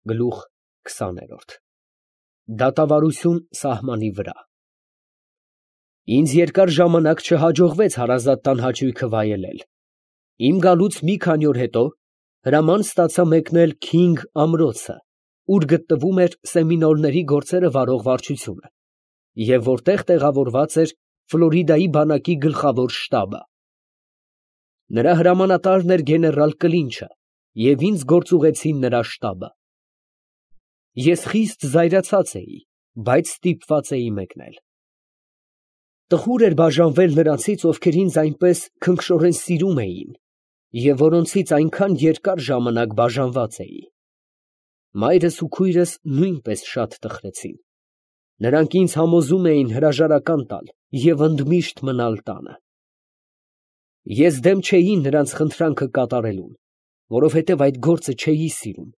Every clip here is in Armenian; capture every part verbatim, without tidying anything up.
Գլուխ քսաներորդ Դատավարություն սահմանի վրա Ինձ երկար ժամանակ չհաջողվեց հարազատ տան հաճույքը վայելել։ Իմ գալուց մի քանի օր հետո հրաման ստացա մեկնել Քինգ ամրոցը, ուր գտնվում էր սեմինոլների գործերը վարող վարչությունը, և որտեղ տեղավորված էր Ֆլորիդայի բանակի գլխավոր շտաբը։ Նրա հրամանատարն էր գեներալ Կլինչը, և ինձ գործուղեցին նրա շտաբը։ Ես խիստ զայրացած էի, բայց ստիպված էի մեկնել։ Տխուր էր բաժանվել նրանցից, ովքեր ինձ այնպես քնքշորեն սիրում էին, և որոնցից այնքան երկար ժամանակ բաժանված էի։ Մայրս ու քույրս նույնպես շատ տխրեցին։ Նրանք ինձ համոզում էին հրաժարական տալ և ընդմիշտ մնալ տանը։ Ես դեմ չէի նրանց խնդրանքը կատարելուն, որովհետև այդ գործը չէի սիրում,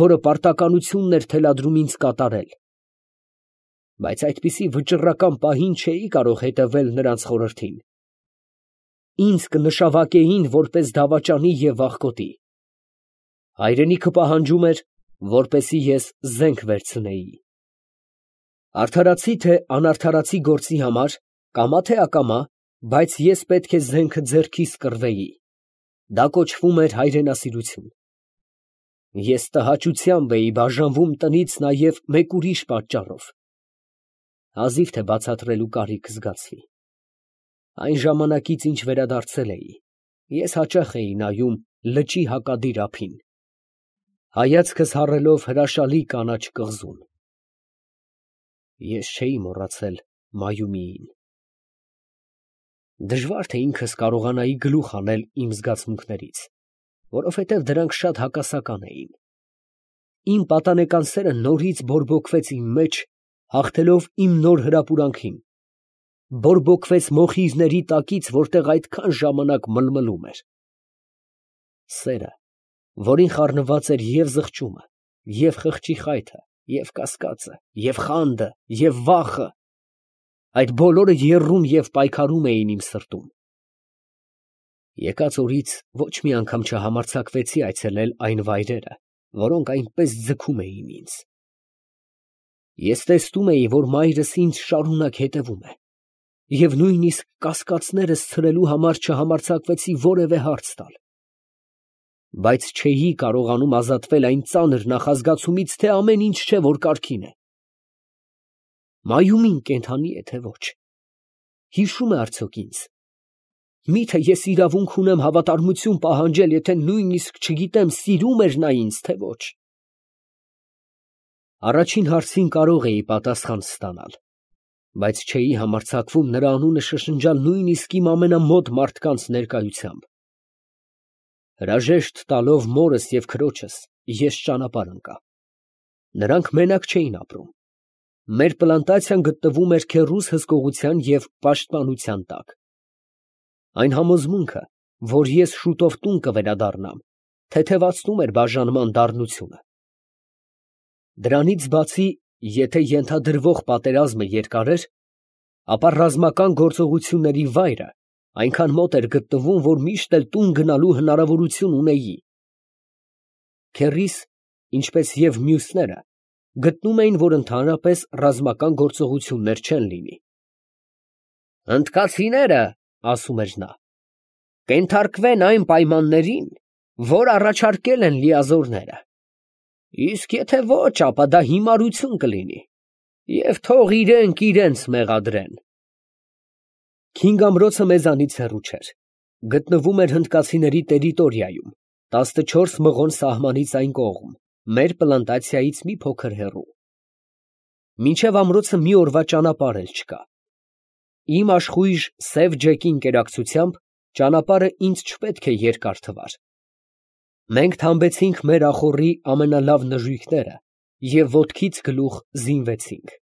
որը պարտականությունն էր թելադրում ինձ կատարել, բայց այդպիսի վճռական պահին չէի կարող հետևել նրանց խորհրդին։ Ինձ կնշավարկեին որպես դավաճանի և վախկոտի։ Հայրենիքը պահանջում էր, որպեսզի ես զենք վերցնեի։ Արդարացի թե անարդարացի գործի համար, կամա թե ակամա, բայց ես պետք է զենքը ձեռքիս կռվեի։ Դա կոչվում էր հայրենասիրություն։ Ես տհաճությամբ էի բաժանվում տնից նաև մեկ ուրիշ պատճառով։ Հազիվ թե բացատրելու կարիք զգացվի։ Այն ժամանակից, ինչ վերադարձել էի, ես հաճախ էի նայում լճի հակադիր ափին, հայացքս հառելով հրաշալի կանաչ կղզուն։ Ես չէի մոռացել Մայումիին։ Դժվար թե ինքս կարողանայի գլուխ հանել իմ զգացմունքներից, որովհետև դրանք շատ հակասական էին։ Իմ պատանեկան սերը նորից բորբոքվեց իմ մեջ, հաղթելով իմ նոր հրապուրանքին, բորբոքվեց մոխիրների տակից, որտեղ այդքան ժամանակ մլմլում էր։ Սերը, որին խառնված էր և զղջումը, և խղճի խայթը, և կասկածը, և խանդը, և վախը, այդ բոլորը եռում և պայքարում էին իմ սրտում։ Եկած օրից ոչ մի անգամ չհամարձակվեցի այցելել այն վայրերը, որոնք այնպես ձգում էին ինձ։ Ես տեսնում էի, որ մայրս ինձ շարունակ հետևում է, և նույնիսկ կասկածներս ցրելու համար չհամարձակվեցի որևէ հարց տալ։ Բայց չէի կարողանում ազատվել այն ծանր նախազգացումից, թե ամեն ինչ չէ, որ կարգին է։ Մայումին կենդանի է, թե ոչ։ Հիշո՞ւմ է արդյոք ինձ։ Մի՞թե ես իրավունք ունեմ հավատարմություն պահանջել, եթե նույնիսկ չգիտեմ սիրում էր նա ինձ, թե ոչ։ Առաջին հարցին կարող էի պատասխան ստանալ, բայց չէի համարձակվում նրա անունը շշնջալ նույնիսկ իմ ամենամոտ մարդկանց ներկայությամբ։ Հրաժեշտ տալով մորս և քրոջս, ես ճանապարհ ընկա։ Նրանք մենակ չէին ապրում։ Մեր պլանտացիան գտնվում էր քեռուս հսկողության և պաշտպանության տակ։ Այն համոզմունքը, որ ես շուտով տուն կվերադառնամ, թեթևացնում էր բաժանման դառնությունը։ Դրանից բացի, եթե ենթադրվող պատերազմը երկար էր, ապա ռազմական գործողությունների վայրը այնքան մոտ էր գտնվում, որ միշտ էլ տուն գնալու հնարավորություն ունեի։ Քեռիս, ինչպես և մյուսները, գտնում էին, որ ընդհանրապես ռազմական գործողություններ չեն լինի։ «Հնդկացիները, — ասում էր նա, — կենթարկվեն այն պայմաններին, որ առաջարկել են լիազորները, իսկ եթե ոչ, ապա դա հիմարություն կլինի, և թող իրանք իրանց մեղադրեն»։ Քինգ ամրոցը մեզանից հեռու չէր, գտնվում էր հնդկացիների տերիտորիայում, տասնչորս մղոն սահմանից այն կողմ, մեր պլանտացիայից մի փոքր հեռու։ Մինչև ամրոցը մի օրվա ճանապարհ էլ չկա։ Իմ աշխույժ սև ջեկի ընկերակցությամբ ճանապարհը ինձ չպետք է երկար թվար։ Մենք թամբեցինք մեր ախոռի ամենալավ նժույգները և ոտքից գլուխ զինվեցինք։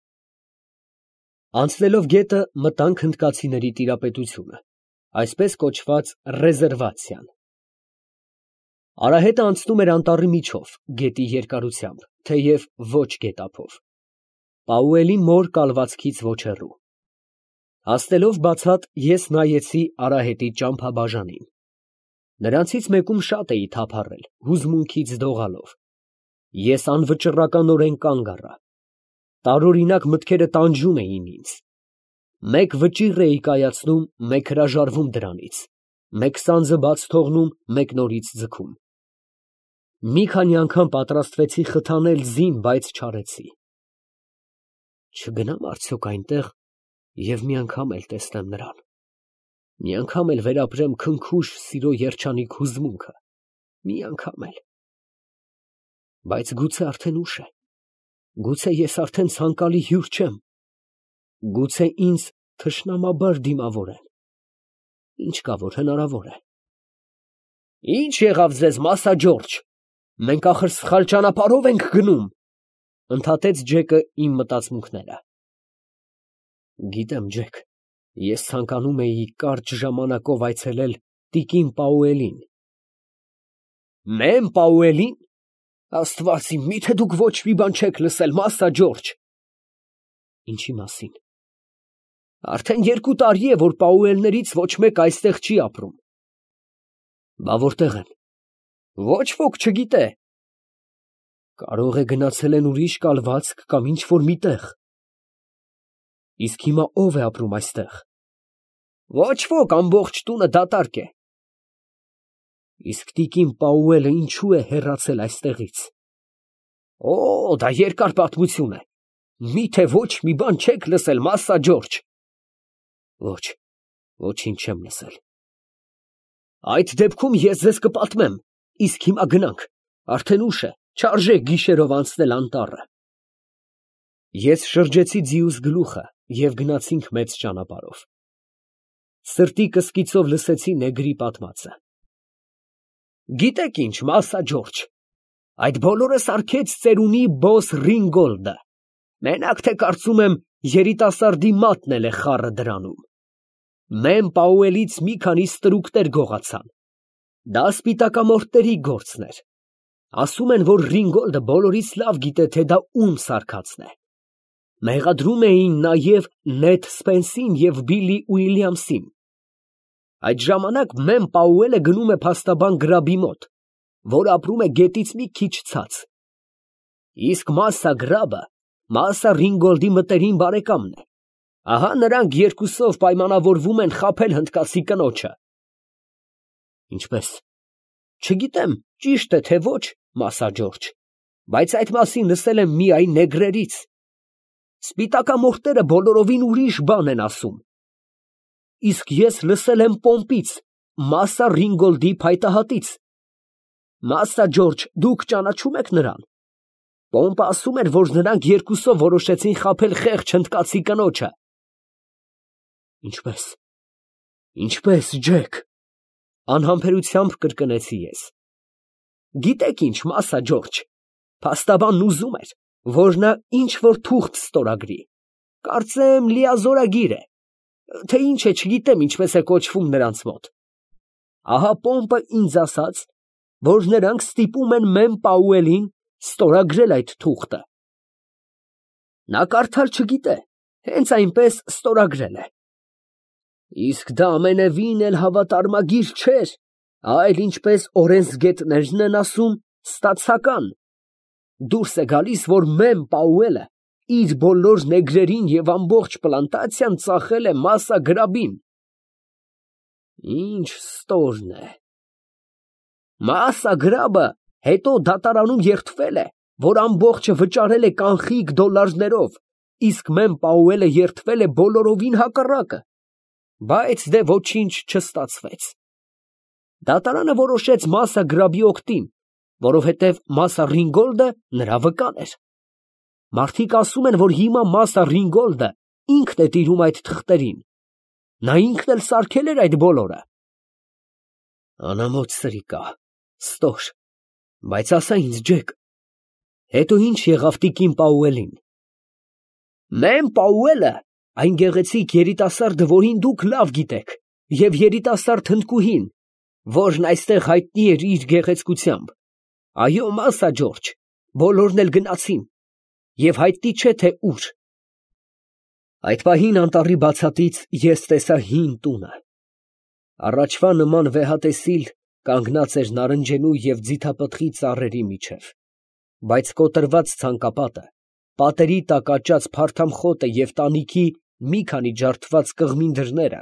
Անցնելով գետը, մտանք հնդկացիների տիրապետությունը, այսպես կոչված ռեզերվացիան։ Արահետը անցնում էր անտառի միջով, գետի երկարությամբ, թեև ոչ գետափով, Պաուելի մոր կալվածքից ոչ հեռու։ Հասնելով բացատ, ես նայեցի արահետի ճամփաբաժանին։ Նրանցից մեկում շատ էի թափառել, հուզմունքից դողալով։ Ես անվճռականորեն կանգ առա։ Տարօրինակ մտքերը տանջում էին ինձ. մեկ վճիռ էի կայացնում, մեկ հրաժարվում դրանից, մեկ սանձը բաց թողնում, մեկ նորից ձգում։ Մի քանի անգամ պատրաստվեցի խթանել ձին, բայց չարեցի։ Չգնամ արդյոք այնտեղ և մի անգամ էլ տեսնեմ նրան, մի անգամ էլ վերապրեմ քնքուշ սիրո երջանիկ հուզմունքը, մի անգամ էլ… Բայց գուցե արդեն ուշ է, գուցե ես արդեն ցանկալի հյուր չեմ, գուցե ինձ թշնամաբար դիմավորեն, ինչ կա, որ հնարավոր է… Ի՞նչ եղավ ձեզ, Մասա Ջորջ, մենք ախր սխալ ճանապարհով ենք գնում, ընդհատեց Ջեկը իմ մտածմունքները։ Գիտեմ, Ջեք, ես ցանկանում էի կարճ ժամանակով այցելել տիկին Պաուելին։ Մեմ Պաուելին… Աստված իմ, միթե դուք ոչ մի բան չեք լսել, Մասա Ջորջ։ Ինչի մասին։ Արդեն երկու տարի է, որ Պաուելներից ոչ մեկ այստեղ չի ապրում։ Բա որտեղ են։ Ոչ ոք չգիտե։ Կարող է գնացել են ուրիշ կալվածք կամ ինչ որ մի տեղ։ Իսկ հիմա ով է ապրում այստեղ։ Ոչ ոք, ամբողջ տունը դատարկ է։ Իսկ տիկին Պաուելը ինչու է հեռացել այստեղից։ Օ, դա երկար պատմություն է։ Միթե ոչ մի բան չեք լսել, Մասա Ջորջ։ Ոչ, ոչինչ չեմ լսել։ Այդ դեպքում ես ձեզ կպատմեմ, իսկ հիմա գնանք, արդեն ուշ է, չարժե գիշերով անցնել անտառը։ Ես շրջեցի ձիուս գլուխը և գնացինք մեծ ճանապարհով։ Սրտի կսկիցով լսեցի նեգրի պատմածը։ Գիտեք ինչ, Մասա Ջորջ, այդ բոլորը սարքեց ծերունի բոս Ռինգոլդը, մենակ թե կարծում եմ երիտասարդի մատն էլ է խառը դրանում։ Մեմ Պաուելից մի քանի ստրուկներ գողացան։ Դա սպիտակամորթների գործն էր։ Ասում են, որ Ռինգոլդը բոլորից լավ գիտե, թե դա ում սարքածն է։ Մեղադրում էին նաև Նեդ Սպենսին և Բիլլի Ուիլյամսին։ Այդ ժամանակ Մեմ Պաուելը գնում է փաստաբան Գրաբի մոտ, որ ապրում է գետից մի քիչ ցած։ Իսկ Մասա Գրաբը Մասա Ռինգոլդի մտերիմ բարեկամն է։ Ահա նրանք երկուսով պայմանավորվում են խաբել հնդկացի կնոջը։ Ինչպես։ Չգիտեմ, ճիշտ է թե ոչ, Մասա Ջորջ, բայց այդ մասին լսել եմ միայն նեգրերից։ Սպիտակամորթերը բոլորովին ուրիշ բան են ասում։ Իսկ ես լսել եմ Պոմպից, Մասա Ռինգոլդի փայտահատից։ Մասա Ջորջ, դուք ճանաչում եք նրան։ Պոմպը ասում էր, որ նրանք երկուսով որոշեցին խաբել խեղճ հնդկացի կնոջը։ Ինչպես։ Ինչպես, Ջեք, անհամբերությամբ կրկնեցի ես։ Գիտեք ինչ, Մասա Ջորջ, փաստաբանն ուզում էր, որ նա ինչ որ թուղթ ստորագրի, կարծեմ լիազորագիր է, թե ինչ է, չգիտեմ ինչպես է կոչվում նրանց մոտ։ Ահա Պոմպը ինձ ասաց, որ նրանք ստիպում են Մեմ Պաուելին ստորագրել այդ թուղթը։ Նա կարդալ չգիտե, հենց այնպես ստորագրել է։ Իսկ դա ամենևին էլ հավատարմագիր չէր, այլ ինչպես օրենսգետներն են ասում, ստացական։ Դուրս է գալիս, որ Մեմ Պաուելը իր բոլոր նեգրերին և ամբողջ պլանտացիան ծախել է Մասա Գրաբին։ Ինչ ստորն է։ Մասա Գրաբը հետո դատարանում երդվել է, որ ամբողջը վճարել է կանխիկ դոլարներով, իսկ Մեմ Պաուելը երդվել է բոլորովին հակառակը, բայց դե ոչինչ չստացվեց։ Դատարանը որոշեց Մասա Գրաբի օգտին, որովհետև Մասա Ռինգոլդը նրա վկան էր։ Մարդիկ ասում են, որ հիմա Մասա Ռինգոլդը ինքն է տիրում այդ թղթերին։ Նա ինքն էլ սարքել էր այդ բոլորը։ Անամոթ սրիկա, ստոր, բայց ասա ինձ, Ջեք, հետո ինչ եղավ տիկին Պաուելին։ Մեմ Պաուելը, այն գեղեցիկ երիտասարդը, որին դուք լավ գիտեք, և երիտասարդ հնդկուհին, որն այստեղ հայտնի էր իր գեղեցկությամբ, այո, Մասա Ջորջ, բոլորն էլ գնացին, և հայտնի չէ, թե ուր։ Այդ պահին անտառի բացատից ես տեսա հին տունը։ Առաջվա նման վեհատեսիլ կանգնած էր նարնջենու և ձիթապտղի ծառերի միջև։ Բայց կոտրված ցանկապատը, պատերի տակ աճած փարթամ խոտը և տանիքի մի քանի ջարդված կղմին դռները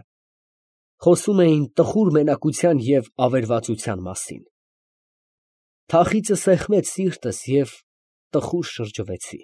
խոսում էին տխուր մենակության և ավերածության մասին… Թախիծը սեղմեց սիրտս և տխուր շրջվեցի։